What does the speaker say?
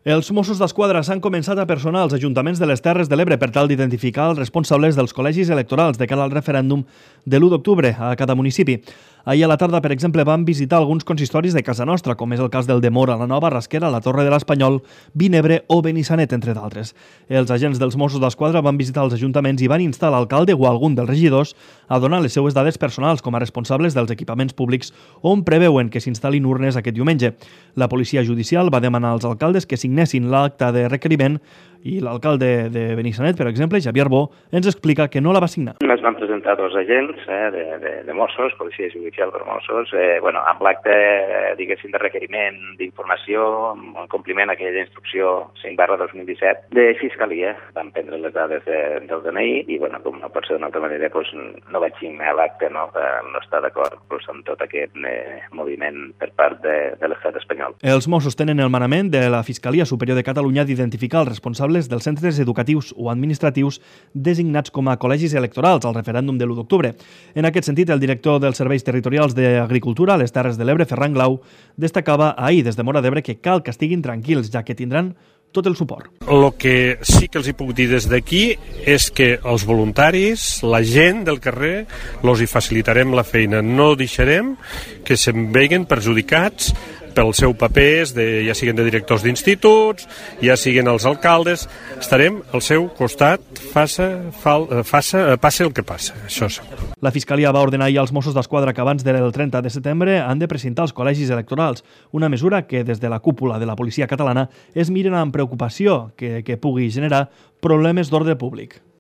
Els Mossos d'Esquadra s'han començat a personar als ajuntaments de les Terres de l'Ebre per tal d'identificar els responsables dels col·legis electorals de cara al referèndum de l'1 d'octubre a cada municipi. Ahir a la tarda, per exemple, van visitar alguns consistoris de casa nostra, com és el cas del de Móra, la Nova, Rasquera, la Torre de l'Espanyol, Vinebre o Benissanet, entre d'altres. Els agents dels Mossos d'Esquadra van visitar els ajuntaments i van instar l'alcalde o algun dels regidors a donar les seues dades personals com a responsables dels equipaments públics on preveuen que s'instal·lin urnes aquest diumenge. La policia judicial va demanar als alcaldes que signessin l'acta de requeriment i l'alcalde de Benissanet, per exemple, Xavier Bo, ens explica que no la va signar. Es van presentar dos agents de Mossos, policia judicial per Mossos, amb l'acte, diguéssim, de requeriment d'informació, en compliment a aquella instrucció 5/2017 de Fiscalia. Van prendre les dades del DNI i, com no pot ser d'una altra manera, no vaig signar l'acte, no està d'acord amb tot aquest moviment per part de l'estat espanyol. Els Mossos tenen el manament de la Fiscalia Superior de Catalunya d'identificar els responsables dels centres educatius o administratius designats com a col·legis electorals al referèndum de l'1 d'octubre. En aquest sentit, el director dels Serveis Territorials d'Agricultura a les Terres de l'Ebre, Ferran Glau, destacava ahir des de Móra d'Ebre que cal que estiguin tranquils, ja que tindran tot el suport. El que sí que els puc dir des d'aquí és que els voluntaris, la gent del carrer, els hi facilitarem la feina. No deixarem que se'n vegin perjudicats pel seu papers, ja siguin de directors d'instituts, ja siguin els alcaldes. Estarem al seu costat, passe el que passa, això sí. La Fiscalia va ordenar ahir als Mossos d'Esquadra que abans del 30 de setembre han de presentar els col·legis electorals, una mesura que des de la cúpula de la policia catalana es miren amb preocupació que pugui generar problemes d'ordre públic.